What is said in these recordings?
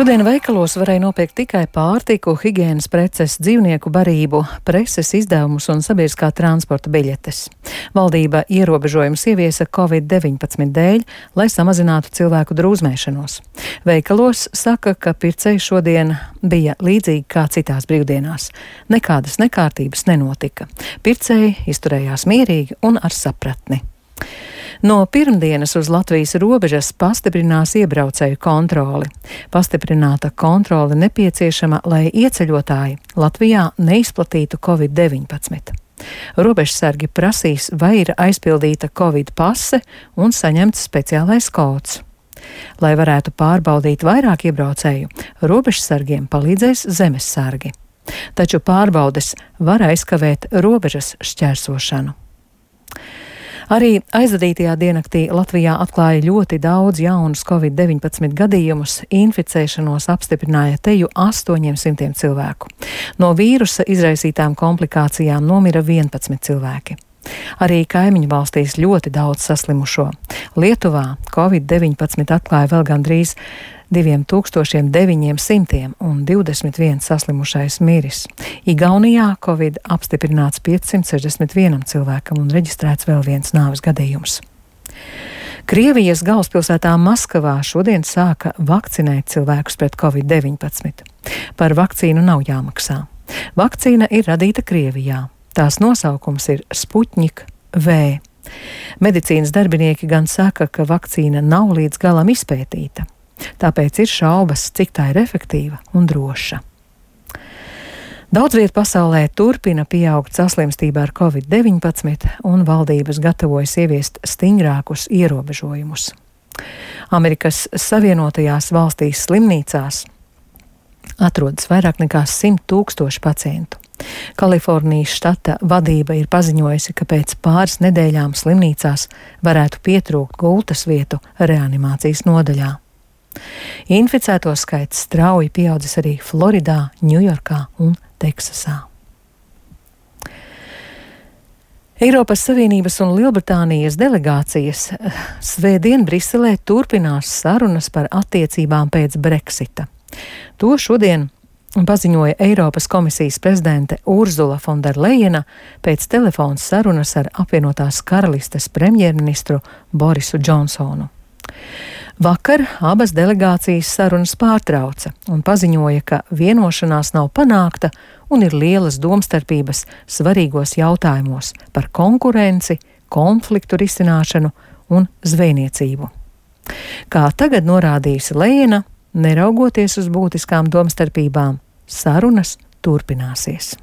Šodien veikalos varēja nopirkt tikai pārtiku, higienas preces, dzīvnieku barību, preses izdevumus un sabiedriskā transporta biļetes. Valdība ierobežojumus ieviesa Covid-19 dēļ, lai samazinātu cilvēku drūzmēšanos. Veikalos saka, ka pircēji šodien bija līdzīgi kā citās brīvdienās. Nekādas nekārtības nenotika. Pircēji izturējās mierīgi un ar sapratni. No pirmdienas uz Latvijas robežas pastiprinās iebraucēju kontroli. Pastiprināta kontrole nepieciešama, lai ieceļotāji Latvijā neizplatītu Covid-19. Robežsargi prasīs, vai ir aizpildīta Covid pase un saņemts speciālais kods. Lai varētu pārbaudīt vairāk iebraucēju, robežsargiem palīdzēs zemessargi. Taču pārbaudes var aizkavēt robežas šķērsošanu. Arī aizvadītajā diennaktī Latvijā atklāja ļoti daudz jaunus Covid-19 gadījumus, inficēšanos apstiprināja teju 800 cilvēku. No vīrusa izraisītām komplikācijām nomira 11 cilvēki. Arī kaimiņu valstīs ļoti daudz saslimušo. Lietuvā Covid-19 atklāja vēl gandrīz 2900 un 21 saslimušais miris. Igaunijā Covid apstiprināts 561 cilvēkam un reģistrēts vēl viens nāves gadījums. Krievijas galvaspilsētā Maskavā šodien sāka vakcinēt cilvēkus pret Covid-19. Par vakcīnu nav jāmaksā. Vakcīna ir radīta Krievijā. Tās nosaukums ir Sputnik V. Medicīnas darbinieki gan saka, ka vakcīna nav līdz galam izpētīta. Tāpēc ir šaubas, cik tā ir efektīva un droša. Daudz viet pasaulē turpina pieaugt saslimstība ar Covid-19 un valdības gatavojas ieviest stingrākus ierobežojumus. Amerikas Savienotajās valstīs slimnīcās atrodas vairāk nekā 100 000 pacientu. Kalifornijas štata vadība ir paziņojusi, ka pēc pāris nedēļām slimnīcās varētu pietrūkt gultas vietu reanimācijas nodaļā. Inficēto skaits strauji pieaudzis arī Floridā, Ņujorkā un Teksasā. Eiropas Savienības un Lielbritānijas delegācijas svētdien Briselē turpinās sarunas par attiecībām pēc Brexita. To šodien paziņoja Eiropas komisijas prezidente Urzula Fonderlejena pēc telefona sarunas ar apvienotās karalistes premjerministru Borisu Džonsonu. Vakar abas delegācijas sarunas pārtrauca un paziņoja, ka vienošanās nav panākta un ir lielas domstarpības svarīgos jautājumos par konkurenci, konfliktu risināšanu un zvejniecību. Kā tagad norādījusi Lejena, neraugoties uz būtiskām domstarpībām, sarunas turpināsies.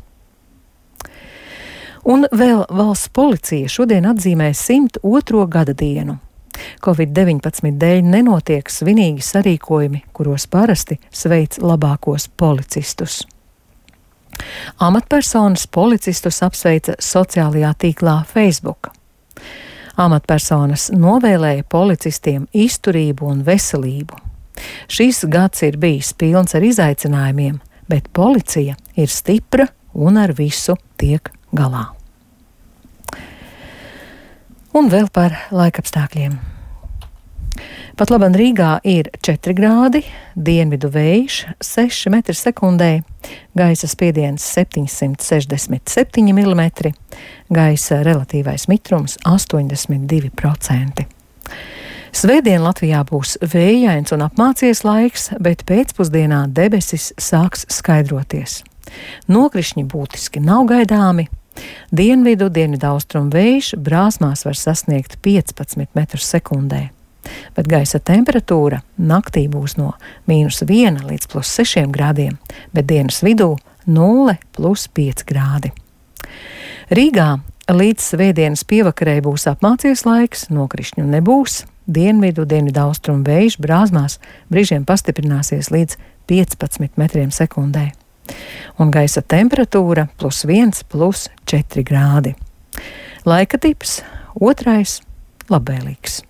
Un vēl valsts policija šodien atzīmē 102. gada dienu. Covid-19 dēļ nenotiek svinīgi sarīkojumi, kuros parasti sveic labākos policistus. Amatpersonas policistus apsveica sociālajā tīklā Facebook. Amatpersonas novēlēja policistiem izturību un veselību. Šis gads ir bijis pilns ar izaicinājumiem, bet policija ir stipra un ar visu tiek galā. Un vēl par laikapstākļiem. Pat labam Rīgā ir 4 grādi, dienvidu vējš 6 m/sekundē, gaisa spiediens 767 mm, gaisa relatīvais mitrums 82%. Svētdien Latvijā būs vējains un apmācies laiks, bet pēcpusdienā debesis sāks skaidroties. Nokrišņi būtiski nav gaidāmi. Dienvidaustrumu vējš brāzmās var sasniegt 15 m/sekundē, bet gaisa temperatūra naktī būs no -1 līdz +6 grādiem, bet dienas vidū 0 + 5 grādi. Rīgā līdz svētdienas pievakarē būs apmācies laiks, nokrišņu nebūs, dienvidaustrumu vējš brāzmās brīžiem pastiprināsies līdz 15 m/sekundē. Un gaisa temperatūra +1 + 4 grādi. Laika tips 2. labvēlīgs.